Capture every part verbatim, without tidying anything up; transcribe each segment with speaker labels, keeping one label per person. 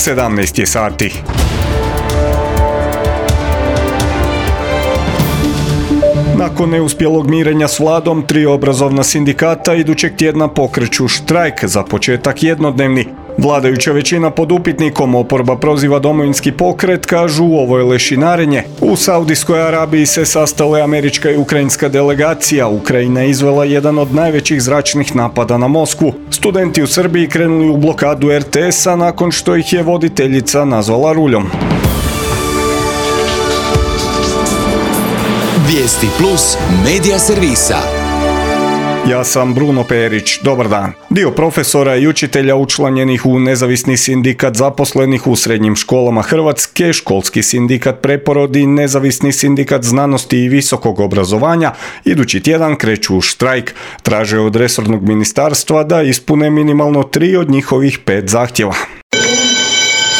Speaker 1: sedamnaest je sati. Nakon neuspjelog mirenja s vladom, tri obrazovna sindikata idućeg tjedna pokreću štrajk, za početak jednodnevni. Vladajuća većina pod upitnikom, oporba proziva Domovinski pokret, kažu ovo je lešinarenje. U Saudijskoj Arabiji se sastale američka i ukrajinska delegacija. Ukrajina je izvela jedan od najvećih zračnih napada na Moskvu. Studenti u Srbiji krenuli u blokadu er te esa nakon što ih je voditeljica nazvala ruljom.
Speaker 2: Vijesti plus medija servisa.
Speaker 1: Ja sam Bruno Perić, dobar dan. Dio profesora i učitelja učlanjenih u nezavisni sindikat zaposlenih u srednjim školama Hrvatske, školski sindikat Preporod i nezavisni sindikat znanosti i visokog obrazovanja idući tjedan kreću u štrajk. Traže od resornog ministarstva da ispune minimalno tri od njihovih pet zahtjeva.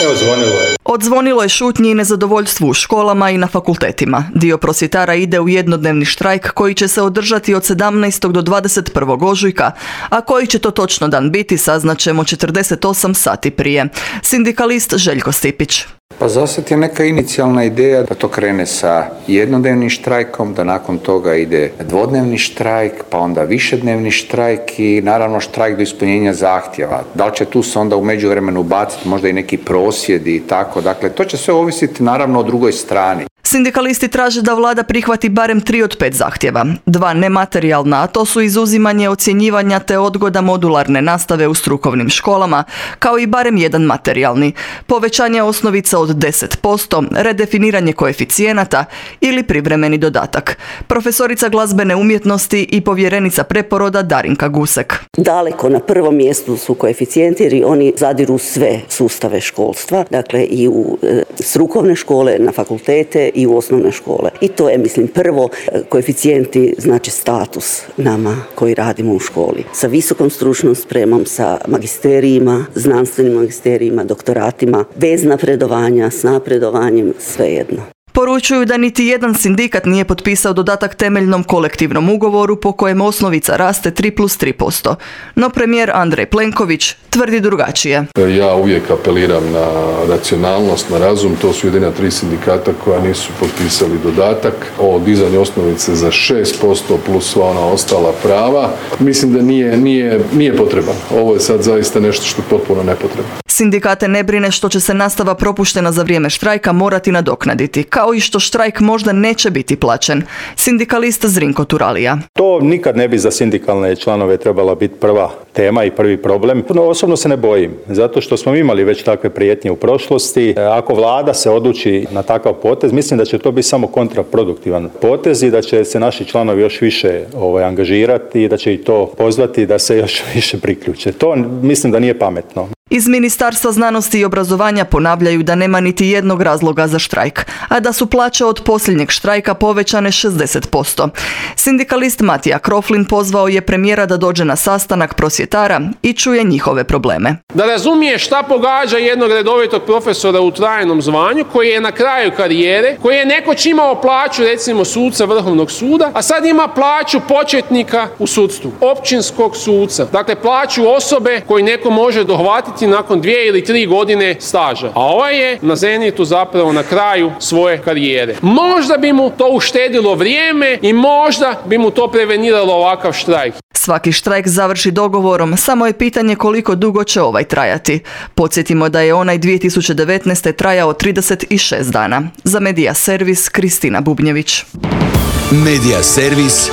Speaker 3: Evo, zvonilo je.
Speaker 4: Odzvonilo je šutnji i nezadovoljstvu u školama i na fakultetima. Dio prosvjetara ide u jednodnevni štrajk koji će se održati od sedamnaestog do dvadeset prvog ožujka, a koji će to točno dan biti saznaćemo četrdeset osam sati prije. Sindikalist Željko Stipić.
Speaker 3: Pa zasad je neka inicijalna ideja da to krene sa jednodnevnim štrajkom, da nakon toga ide dvodnevni štrajk, pa onda višednevni štrajk i naravno štrajk do ispunjenja zahtjeva. Da li će tu se onda u međuvremenu baciti možda i neki prosvjedi i tako, dakle to će sve ovisiti naravno o drugoj strani.
Speaker 4: Sindikalisti traže da vlada prihvati barem tri od pet zahtjeva. Dva nematerijalna, a to su izuzimanje ocjenjivanja te odgoda modularne nastave u strukovnim školama, kao i barem jedan materijalni. Povećanje osnovica od deset posto, redefiniranje koeficijenata ili privremeni dodatak. Profesorica glazbene umjetnosti i povjerenica Preporoda Darinka Gusek.
Speaker 5: Daleko na prvom mjestu su koeficijenti jer oni zadiru sve sustave školstva, dakle i u e, strukovne škole, na fakultete i u osnovne škole. I to je, mislim, prvo, koeficijenti znači status nama koji radimo u školi. Sa visokom stručnom spremom, sa magisterijima, znanstvenim magisterijima, doktoratima, bez napredovanja, s napredovanjem, svejedno.
Speaker 4: Poručuju da niti jedan sindikat nije potpisao dodatak temeljnom kolektivnom ugovoru po kojem osnovica raste tri plus tri posto. No premijer Andrej Plenković tvrdi drugačije.
Speaker 6: Ja uvijek apeliram na racionalnost, na razum. To su jedina tri sindikata koja nisu potpisali dodatak o dizanju osnovice za šest posto plus sva ona ostala prava. Mislim da nije, nije, nije potreban. Ovo je sad zaista nešto što je potpuno nepotrebno.
Speaker 4: Sindikate ne brine što će se nastava propuštena za vrijeme štrajka morati nadoknaditi, kao i što štrajk možda neće biti plaćen. Sindikalist Zrinko Turalija.
Speaker 7: To nikad ne bi za sindikalne članove trebala biti prva tema i prvi problem. No, osobno se ne bojim, zato što smo imali već takve prijetnje u prošlosti. Ako vlada se odluči na takav potez, mislim da će to biti samo kontraproduktivan potez i da će se naši članovi još više ovaj, angažirati i da će i to pozvati da se još više priključe. To mislim da nije pametno.
Speaker 4: Iz Ministarstva znanosti i obrazovanja ponavljaju da nema niti jednog razloga za štrajk, a da su plaće od posljednjeg štrajka povećane šezdeset posto. Sindikalist Matija Kroflin pozvao je premijera da dođe na sastanak prosvjetara i čuje njihove probleme.
Speaker 8: Da razumije šta pogađa jednog redovitog profesora u trajnom zvanju koji je na kraju karijere, koji je nekoć imao plaću recimo suca Vrhovnog suda, a sad ima plaću početnika u sudstvu, općinskog suca. Dakle, plaću osobe koju neko može dohvatiti nakon dvije ili tri godine staža. A ovaj je na zenitu zapravo na kraju svoje karijere. Možda bi mu to uštedilo vrijeme i možda bi mu to preveniralo ovakav štrajk.
Speaker 4: Svaki štrajk završi dogovorom, samo je pitanje koliko dugo će ovaj trajati. Podsjetimo da je onaj dvije tisuće devetnaeste. trajao trideset šest dana. Za Medija Servis, Kristina Bubnjević.
Speaker 2: Medija Servis,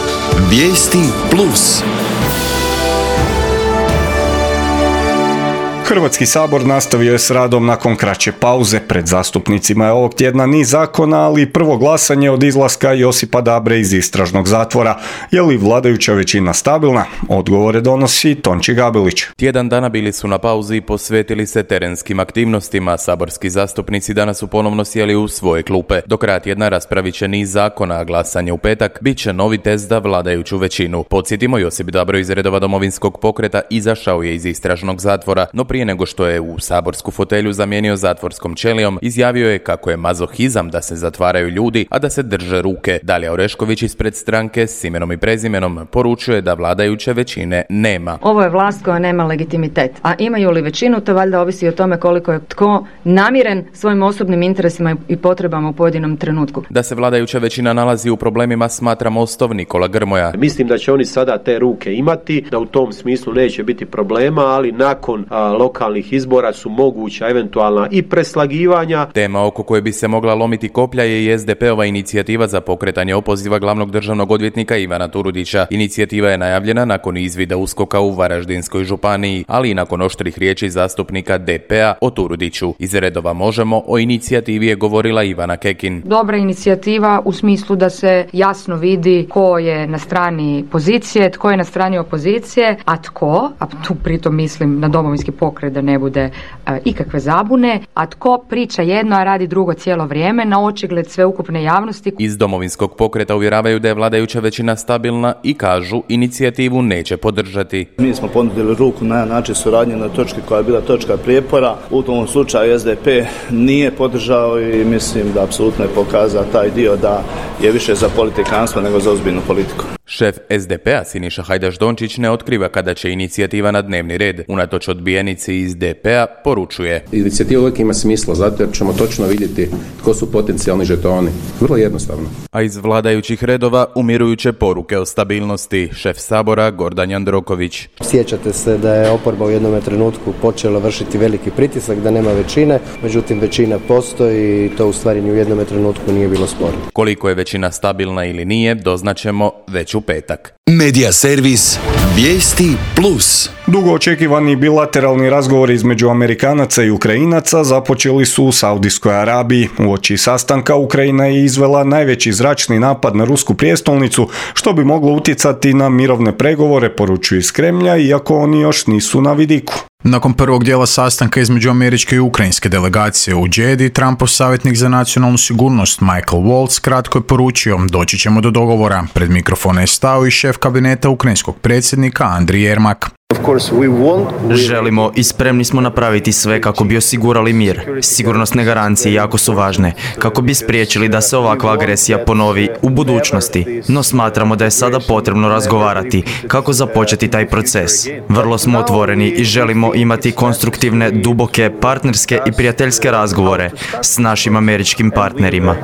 Speaker 2: Vijesti plus.
Speaker 1: Hrvatski sabor nastavio je s radom nakon kraće pauze. Pred zastupnicima je ovog tjedna niz zakona, ali prvo glasanje od izlaska Josipa Dabre iz istražnog zatvora. Je li vladajuća većina stabilna? Odgovore donosi Tonči Gabelić.
Speaker 9: Tjedan dana bili su na pauzi i posvetili se terenskim aktivnostima. Saborski zastupnici danas su ponovno sjeli u svoje klupe. Do kraja tjedna raspravit će niz zakona, a glasanje u petak bit će novi test za vladajuću većinu. Podsjetimo, Josip Dabro iz redova Domovinskog pokreta izašao je iz istražnog zatvora, no prije prije nego što je u saborsku fotelju zamijenio zatvorskom ćelijom, izjavio je kako je mazohizam da se zatvaraju ljudi, a da se drže ruke. Dalija Orešković ispred stranke s imenom i prezimenom poručuje da vladajuće većine nema.
Speaker 10: Ovo je vlast koja nema legitimitet, a imaju li većinu, to valjda ovisi o tome koliko je tko namiren svojim osobnim interesima i potrebama u pojedinom trenutku.
Speaker 9: Da se vladajuća većina nalazi u problemima smatra Mostov Nikola Grmoja.
Speaker 11: Mislim da će oni sada te ruke imati, da u tom smislu neće biti problema, ali nakon a, lokalnih izbora su moguća eventualna i preslagivanja.
Speaker 9: Tema oko koje bi se mogla lomiti koplja je i es de pe ova inicijativa za pokretanje opoziva glavnog državnog odvjetnika Ivana Turudića. Inicijativa je najavljena nakon izvida uskoka u Varaždinskoj županiji, ali i nakon oštrih riječi zastupnika de pe a o Turudiću. Iz redova Možemo o inicijativi je govorila Ivana Kekin.
Speaker 10: Dobra inicijativa u smislu da se jasno vidi ko je na strani pozicije, tko je na strani opozicije, a tko, a tu pritom mislim na Domovinski pokret da ne bude e, ikakve zabune, a tko priča jedno, a radi drugo cijelo vrijeme na očigled sveukupne javnosti.
Speaker 9: Iz Domovinskog pokreta uvjeravaju da je vladajuća većina stabilna i kažu inicijativu neće podržati.
Speaker 12: Mi smo ponudili ruku na način suradnje na točki koja je bila točka prijepora. U tom slučaju es de pe nije podržao i mislim da apsolutno je pokazao taj dio da je više za politikanstvo nego za ozbiljnu politiku.
Speaker 9: Šef es de pe a Siniša Hajdaš-Dončić ne otkriva kada će inicijativa na dnevni red. Unatoč odbijenici iz de pe a poručuje.
Speaker 13: Inicijativa uvijek ima smisla, zato jer ćemo točno vidjeti tko su potencijalni žetoni. Vrlo jednostavno.
Speaker 9: A iz vladajućih redova umirujuće poruke o stabilnosti. Šef Sabora Gordan Jandroković.
Speaker 14: Sjećate se da je oporba u jednom trenutku počela vršiti veliki pritisak, da nema većine, međutim većina postoji i to u stvari ni u jednom trenutku nije bilo sporno.
Speaker 9: Koliko je većina stabilna ili nije, doznaćemo već u petak.
Speaker 2: Medija servis Vijesti plus.
Speaker 1: Dugo očekivani bilateralni razgovori između Amerikanaca i Ukrajinaca započeli su u Saudijskoj Arabiji. Uoči sastanka Ukrajina je izvela najveći zračni napad na rusku prijestolnicu, što bi moglo utjecati na mirovne pregovore, poručuju iz Kremlja, iako oni još nisu na vidiku.
Speaker 15: Nakon prvog dijela sastanka između američke i ukrajinske delegacije u Džedi, Trumpov savjetnik za nacionalnu sigurnost Michael Waltz kratko je poručio: doći ćemo do dogovora. Pred mikrofona je stao i šef kabineta ukrajinskog predsjednika Andrij Jermak.
Speaker 16: Želimo i spremni smo napraviti sve kako bi osigurali mir. Sigurnosne garancije jako su važne, kako bi spriječili da se ovakva agresija ponovi u budućnosti. No smatramo da je sada potrebno razgovarati kako započeti taj proces. Vrlo smo otvoreni i želimo imati konstruktivne, duboke, partnerske i prijateljske razgovore s našim američkim partnerima.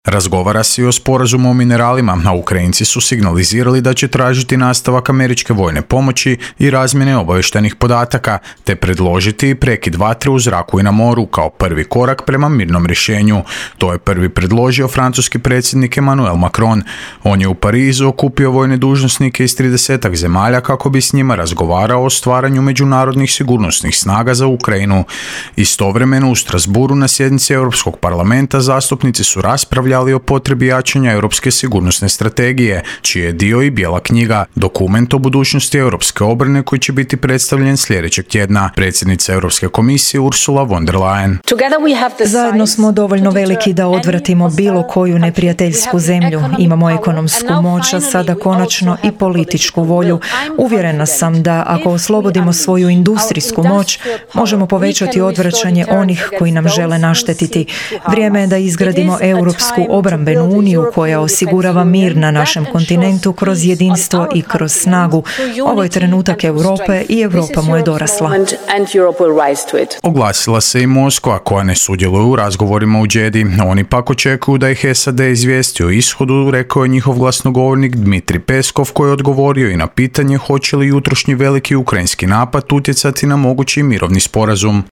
Speaker 15: Razgovara se i o sporazumu o mineralima, a Ukrajinci su signalizirali da će tražiti nastavak američke vojne pomoći i razmjene obavještajnih podataka, te predložiti prekid vatre u zraku i na moru kao prvi korak prema mirnom rješenju. To je prvi predložio francuski predsjednik Emmanuel Macron. On je u Parizu okupio vojne dužnosnike iz tridesetak zemalja kako bi s njima razgovarao o stvaranju međunarodnih sigurnosnih snaga za Ukrajinu. Istovremeno u Strasburu na sjednici Europskog parlamenta zastupnici su raspravljali ali o potrebi jačanja europske sigurnosne strategije, čiji je dio i bijela knjiga, dokument o budućnosti europske obrane koji će biti predstavljen sljedećeg tjedna. Predsjednica Europske komisije Ursula von der Leyen.
Speaker 17: Zajedno smo dovoljno veliki da odvratimo bilo koju neprijateljsku zemlju. Imamo ekonomsku moć, a sada konačno i političku volju. Uvjerena sam da ako oslobodimo svoju industrijsku moć, možemo povećati odvraćanje onih koji nam žele naštetiti. Vrijeme je da izgradimo europsku obrambenu uniju koja osigurava mir na našem kontinentu kroz jedinstvo i kroz snagu. Ovo je trenutak Europe i Europa mu je dorasla.
Speaker 15: Oglasila se i Moskva koja ne sudjeluje u razgovorima u Džedi. Oni pak očekuju da ih es a de izvijesti o ishodu, rekao je njihov glasnogovornik Dmitri Peskov, koji je odgovorio i na pitanje hoće li jutrošnji veliki ukrajinski napad utjecati na mogući mirovni sporazum.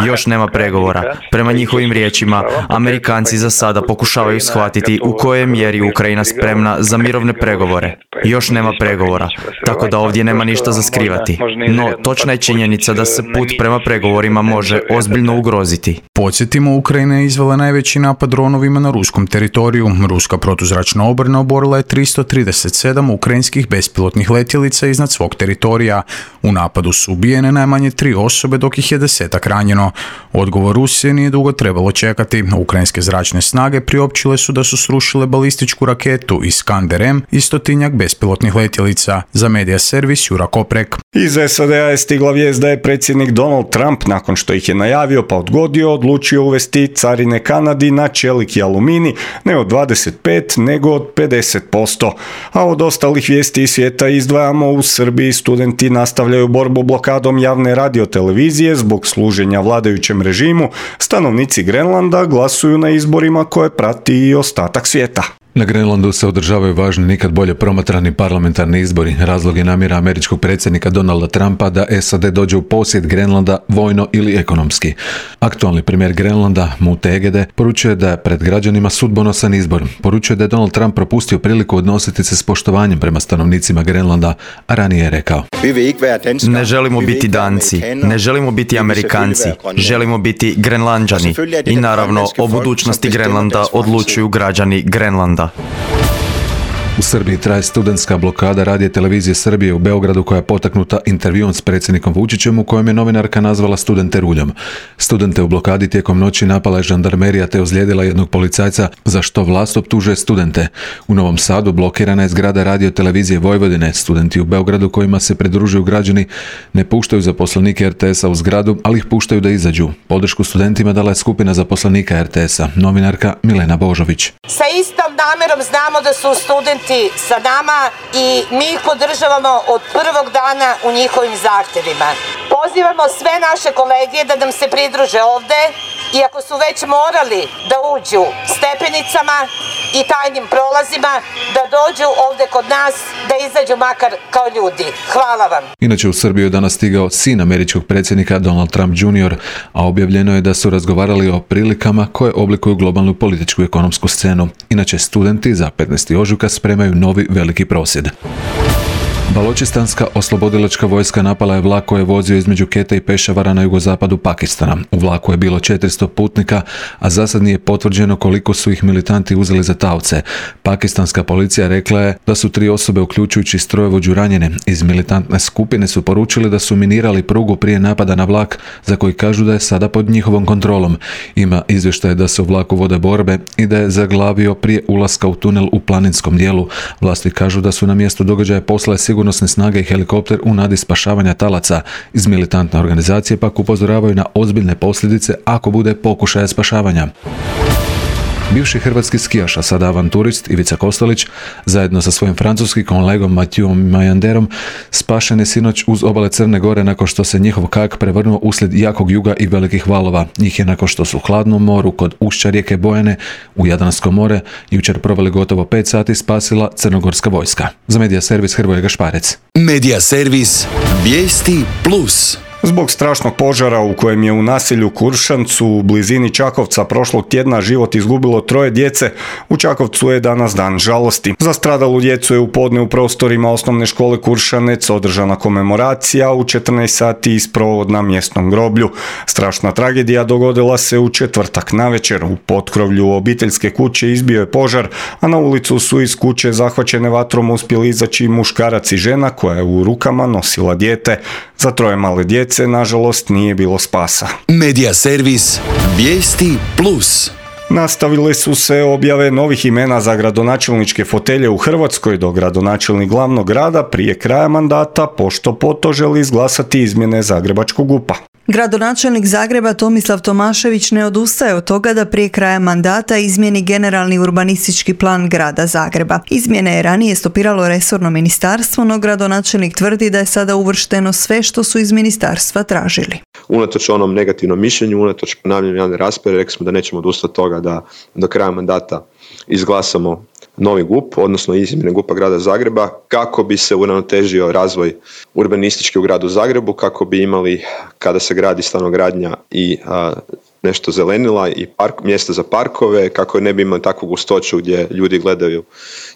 Speaker 16: Još nema pregovora. Prema njihovim riječima, Amerikanci za sada pokušavaju shvatiti u kojoj mjeri je Ukrajina spremna za mirovne pregovore. Još nema pregovora, tako da ovdje nema ništa za skrivati. No, točna je činjenica da se put prema pregovorima može ozbiljno ugroziti.
Speaker 15: Podsjetimo, Ukrajina je izvela najveći napad dronovima na ruskom teritoriju. Ruska protuzračna obrana oborila je tristo trideset sedam ukrajinskih bespilotnih letjelica iznad svog teritorija. U napadu su ubijene najmanje tri osobe, dok ih je desetak ranjeno. Odgovor Rusije nije dugo trebalo čekati. Ukrajinske zračne snage snage priopćile su da su srušile balističku raketu Iskander M i stotinjak bespilotnih letjelica. Za medija servis Jura Koprek.
Speaker 1: Iz S A D-a je stigla vijest da je predsjednik Donald Trump, nakon što ih je najavio pa odgodio, odlučio uvesti carine Kanadi na čelik i aluminij ne od dvadeset pet nego od pedeset posto. A od ostalih vijesti iz svijeta izdvajamo: u Srbiji studenti nastavljaju borbu blokadom javne radiotelevizije zbog služenja vladajućem režimu. Stanovnici Grenlanda glasuju na izborima koje prati i ostatak svijeta.
Speaker 18: Na Grenlandu se održavaju važni, nikad bolje promatrani parlamentarni izbori. Razlog je namjera američkog predsjednika Donalda Trumpa da S A D dođe u posjed Grenlanda vojno ili ekonomski. Aktualni premijer Grenlanda, Mute Egede, poručuje da je pred građanima sudbonosan izbor. Poručuje da je Donald Trump propustio priliku odnositi se s poštovanjem prema stanovnicima Grenlanda, a ranije je rekao:
Speaker 16: Ne želimo biti Danci, ne želimo biti Amerikanci, želimo biti Grenlanđani i naravno o budućnosti Grenlanda odlučuju građani Grenlanda.
Speaker 18: U Srbiji traje studentska blokada radija televizije Srbije u Beogradu koja je potaknuta intervjuom s predsjednikom Vučićem u kojem je novinarka nazvala studente ruljom. Studente u blokadi tijekom noći napala je žandarmerija te ozlijedila jednog policajca, za što vlast optužuje studente. U Novom Sadu blokirana je zgrada radio televizije Vojvodine. Studenti u Beogradu kojima se pridružuju građani ne puštaju zaposlenike R T S-a u zgradu, ali ih puštaju da izađu. Podršku studentima dala je skupina zaposlenika R T S-a, novinarka Milena Božović.
Speaker 19: Sa istom namjerom znamo da su studenti sa nama i mi ih podržavamo od prvog dana u njihovim zahtjevima. Pozivamo sve naše kolege da nam se pridruže ovde i ako su već morali da uđu stepenicama i tajnim prolazima, da dođu ovde kod nas, da izađu makar kao ljudi. Hvala vam.
Speaker 18: Inače u Srbiju je danas stigao sin američkog predsjednika Donald Trump junior, a objavljeno je da su razgovarali o prilikama koje oblikuju globalnu političku i ekonomsku scenu. Inače studenti za petnaesti ožujka spremaju novi veliki prosvjed. Baločistanska oslobodilačka vojska napala je vlak koji je vozio između Kete i Pešavara na jugozapadu Pakistana. U vlaku je bilo četiristo putnika, a za sad nije potvrđeno koliko su ih militanti uzeli za taoce. Pakistanska policija rekla je da su tri osobe, uključujući strojovođu, ranjene. Iz militantne skupine su poručili da su minirali prugu prije napada na vlak, za koji kažu da je sada pod njihovom kontrolom. Ima izvještaje da se u vlaku vode borbe i da je zaglavio prije ulaska u tunel u planinskom dijelu. Vlasti kažu da su na mjestu događaja poslale sigurnosne snage i helikopter u nadi spašavanja talaca. Iz militantne organizacije pak upozoravaju na ozbiljne posljedice ako bude pokušaja spašavanja. Bivši hrvatski skijaš, a sada avanturist Ivica Kostelić, zajedno sa svojim francuskim kolegom Matijom Majanderom, spašen je sinoć uz obale Crne Gore nakon što se njihov kajak prevrnuo uslijed jakog juga i velikih valova. Njih je nakon što su u hladnom moru kod ušća rijeke Bojane u Jadransko more jučer proveli gotovo pet sati spasila crnogorska vojska. Za medija servis Hrvoje Gašparec.
Speaker 2: Medija servis Vijesti Plus.
Speaker 1: Zbog strašnog požara u kojem je u naselju Kuršancu u blizini Čakovca prošlog tjedna život izgubilo troje djece, u Čakovcu je danas dan žalosti. Za stradalu djecu je u podne u prostorima osnovne škole Kuršanec održana komemoracija, u četrnaest sati isprovod na mjesnom groblju. Strašna tragedija dogodila se u četvrtak navečer. U potkrovlju obiteljske kuće izbio je požar, a na ulicu su iz kuće zahvaćene vatrom uspjeli izaći muškarac i žena koja je u rukama nosila dijete. Za troje male djece, nažalost, nije bilo spasa.
Speaker 2: Medija servis Vijesti Plus.
Speaker 1: Nastavile su se objave novih imena za gradonačelničke fotelje u Hrvatskoj, dok gradonačelnik glavnog grada prije kraja mandata pošto poto želi izglasati izmjene Zagrebačkog GUP-a.
Speaker 20: Gradonačelnik Zagreba Tomislav Tomašević ne odustaje od toga da prije kraja mandata izmijeni generalni urbanistički plan grada Zagreba. Izmjene je ranije stopiralo resorno ministarstvo, no gradonačelnik tvrdi da je sada uvršteno sve što su iz ministarstva tražili.
Speaker 21: Unatoč onom negativnom mišljenju, unatoč ponavljanju javne rasprave, rekli smo da nećemo odustati od toga da do kraja mandata izglasamo novi GUP, odnosno izmjene GUP-a grada Zagreba, kako bi se uravnotežio razvoj urbanistički u gradu Zagrebu, kako bi imali, kada se gradi stanogradnja, i a, nešto zelenila i park, mjesta za parkove, kako ne bi imali takvu gustoću gdje ljudi gledaju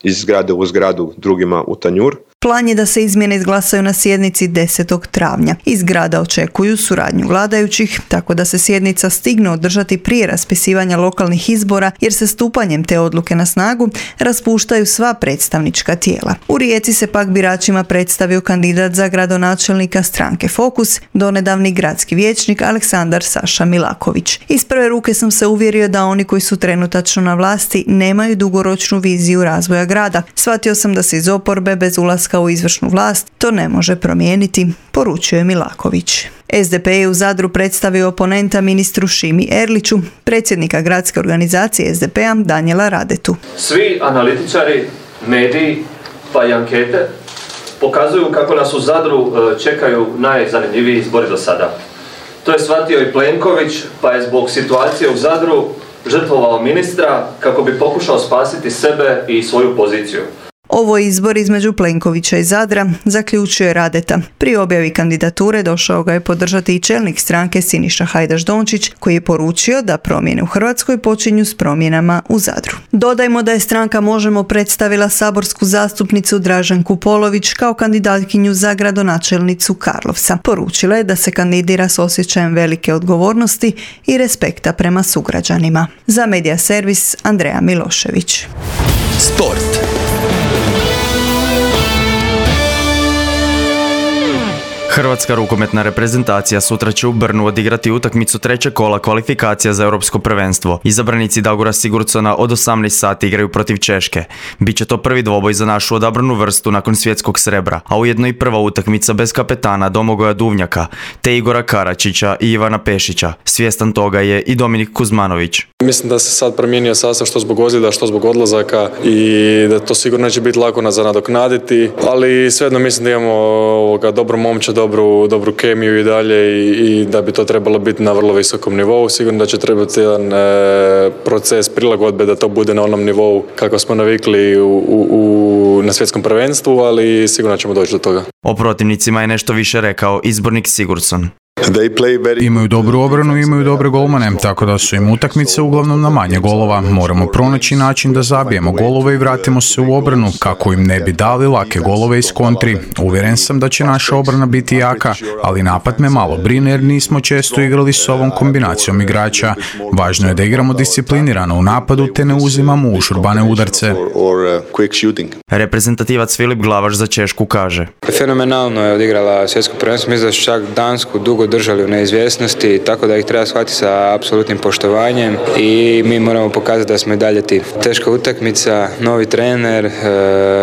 Speaker 21: iz zgrade u zgradu drugima u tanjur.
Speaker 20: Plan je da se izmjene izglasaju na sjednici desetog travnja. Iz grada očekuju suradnju vladajućih, tako da se sjednica stigne održati prije raspisivanja lokalnih izbora, jer se stupanjem te odluke na snagu raspuštaju sva predstavnička tijela. U Rijeci se pak biračima predstavio kandidat za gradonačelnika stranke Fokus, donedavni gradski vijećnik Aleksandar Saša Milaković. Iz prve ruke sam se uvjerio da oni koji su trenutačno na vlasti nemaju dugoročnu viziju razvoja grada. Shvatio sam da se iz oporbe bez ulaska u izvršnu vlast to ne može promijeniti, poručio je Milaković. S D P je u Zadru predstavio oponenta ministru Šimi Erliću, predsjednika gradske organizacije S D P-a Danijela Radetu.
Speaker 3: Svi analitičari, mediji pa i ankete pokazuju kako nas u Zadru čekaju najzanimljiviji izbori do sada. To je shvatio i Plenković, pa je zbog situacije u Zadru žrtvovao ministra kako bi pokušao spasiti sebe i svoju poziciju.
Speaker 20: Ovo je izbor između Plenkovića i Zadra, zaključuje Radeta. Pri objavi kandidature došao ga je podržati i čelnik stranke Siniša Hajdaš Dončić, koji je poručio da promjene u Hrvatskoj počinju s promjenama u Zadru. Dodajmo da je stranka Možemo predstavila saborsku zastupnicu Draženku Polović kao kandidatkinju za gradonačelnicu Karlovca. Poručila je da se kandidira s osjećajem velike odgovornosti i respekta prema sugrađanima. Za Medija servis Andreja Milošević.
Speaker 2: Sport.
Speaker 16: Hrvatska rukometna reprezentacija sutra će u Brnu odigrati utakmicu trećeg kola kvalifikacija za europsko prvenstvo. Izabranici Dagora Sigurdsona od osamnaest sati igraju protiv Češke. Biće to prvi dvoboj za našu odabranu vrstu nakon svjetskog srebra, a ujedno i prva utakmica bez kapetana Domagoja Duvnjaka, te Igora Karačića i Ivana Pešića. Svjestan toga je i Dominik Kuzmanović.
Speaker 22: Mislim da se sad promijenio sastav što zbog ozljeda, što zbog odlazaka i da to sigurno neće biti lako za nadoknaditi, ali svejedno mislim da imamo ovoga dobru momčad, dobru, dobru kemiju i dalje i, i da bi to trebalo biti na vrlo visokom nivou. Sigurno da će trebati jedan e, proces prilagodbe da to bude na onom nivou kako smo navikli u, u, u, na svjetskom prvenstvu, ali sigurno ćemo doći do toga.
Speaker 16: O protivnicima je nešto više rekao izbornik Sigurdsson.
Speaker 15: Imaju dobru obranu i imaju dobre golmane, tako da su im utakmice uglavnom na manje golova. Moramo pronaći način da zabijemo golove i vratimo se u obranu kako im ne bi dali lake golove iz kontri. Uvjeren sam da će naša obrana biti jaka, ali napad me malo brine jer nismo često igrali s ovom kombinacijom igrača. Važno je da igramo disciplinirano u napadu te ne uzimamo užurbane udarce.
Speaker 16: Reprezentativac Filip Glavaš za Češku kaže:
Speaker 23: Fenomenalno je odigrala svjetsko prvenstvo, mislim da su čak Dansku dugo držali u neizvjesnosti, tako da ih treba shvatiti sa apsolutnim poštovanjem i mi moramo pokazati da smo i dalje ti. Teška utakmica, novi trener,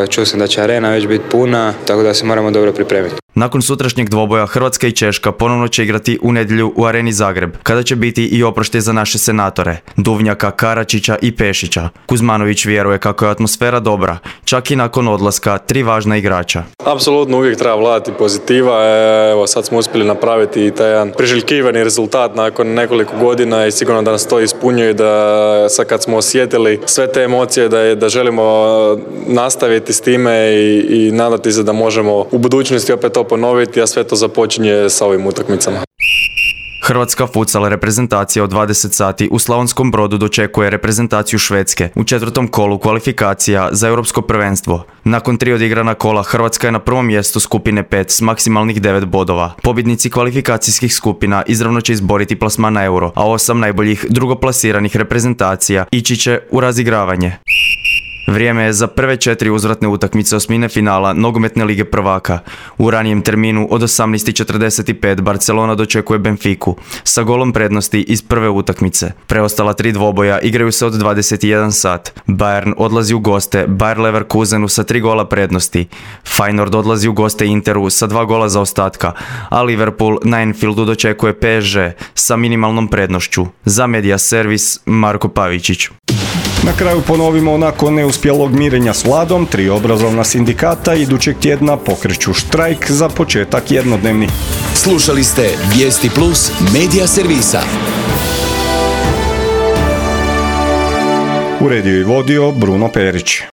Speaker 23: čuo sam da će arena već biti puna, tako da se moramo dobro pripremiti.
Speaker 16: Nakon sutrašnjeg dvoboja Hrvatska i Češka ponovno će igrati u nedjelju u Areni Zagreb, kada će biti i oproštaj za naše senatore, Duvnjaka, Karačića i Pešića. Kuzmanović vjeruje kako je atmosfera dobra, čak i nakon odlaska tri važna igrača.
Speaker 22: Apsolutno uvijek treba vladati pozitiva, evo sad smo uspjeli napraviti i taj jedan priželjkivani rezultat nakon nekoliko godina i sigurno da nas to ispunjuje, da sad kad smo osjetili sve te emocije da, je, da želimo nastaviti s time i, i nadati se da možemo u budućnosti opet to ponoviti, a sve to započinje sa ovim utakmicama.
Speaker 16: Hrvatska futsal reprezentacija od dvadeset sati u Slavonskom Brodu dočekuje reprezentaciju Švedske u četvrtom kolu kvalifikacija za europsko prvenstvo. Nakon tri odigrana kola Hrvatska je na prvom mjestu skupine pet s maksimalnih devet bodova. Pobjednici kvalifikacijskih skupina izravno će izboriti plasman na euro, a osam najboljih drugoplasiranih reprezentacija ići će u razigravanje. Vrijeme je za prve četiri uzvratne utakmice osmine finala Nogometne lige prvaka. U ranijem terminu od osamnaest četrdeset pet Barcelona dočekuje Benfiku sa golom prednosti iz prve utakmice. Preostala tri dvoboja igraju se od dvadeset jedan sat. Bayern odlazi u goste Bayer Leverkusenu sa tri gola prednosti. Feyenoord odlazi u goste Interu sa dva gola zaostatka, a Liverpool na Anfieldu dočekuje P S G sa minimalnom prednošću. Za Medija servis Marko Pavičić.
Speaker 1: Na kraju ponovimo, nakon neuspjelog mirenja s vladom, tri obrazovna sindikata idućeg tjedna pokreću štrajk za početak jednodnevni.
Speaker 2: Slušali ste Vijesti Plus Medija servisa.
Speaker 1: Uredio i vodio Bruno Perić.